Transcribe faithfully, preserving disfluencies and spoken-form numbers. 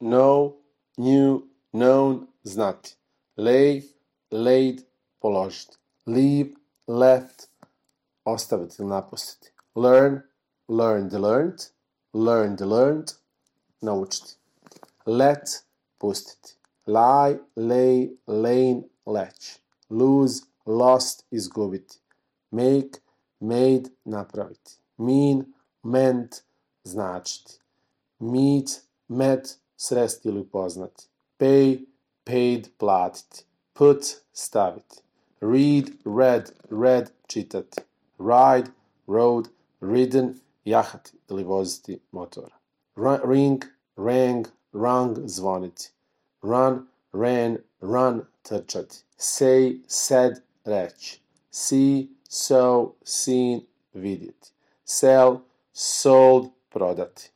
know, knew, known, znati. Lay, laid, položiti. Leave, left, ostaviti ili napustiti. Learn, learned, learned, learned, learned, naučiti. Let, pustiti. Lie, lay, lane, leć. Lose, lost, izgubiti. Make, made, napraviti. Mean, meant, značiti. Meet, met, sresti ili upoznati. Pay, paid, platiti. Put, staviti. Read, read, read, čitati. Ride, rode, ridden, jahati ili voziti motora. Ring, rang, rung, zvoniti. Run, ran, run, trčati. Say, said, reći. See, saw, seen, vidjeti. Sell, sold, prodati.